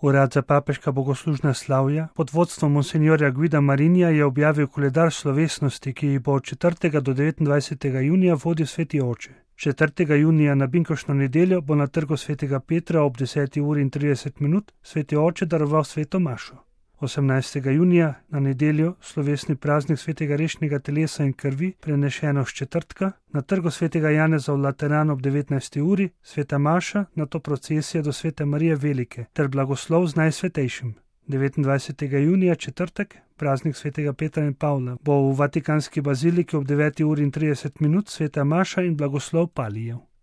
Urad za papeška bogoslužna slavja pod vodstvom monsinjorja Guida Marinija je objavil koledar slovesnosti, ki jih bo od 4. do 29. junija vodil sveti oče. 4. junija na binkoštno nedeljo bo na trgu svetega Petra ob 10:30 sveti oče daroval sveto mašo. 18. junija na nedeljo slovesni praznik svetega rešnega telesa in krvi, prenešeno s četrtka, na trgu svetega Janeza v Lateranu ob 19. uri, sveta maša, nato procesija do svete Marije Velike ter blagoslov z Najsvetejšim. 29. junija, četrtek, praznik svetega Petra in Pavla, bo v Vatikanski baziliki ob 9:30 sveta maša in blagoslov palijev.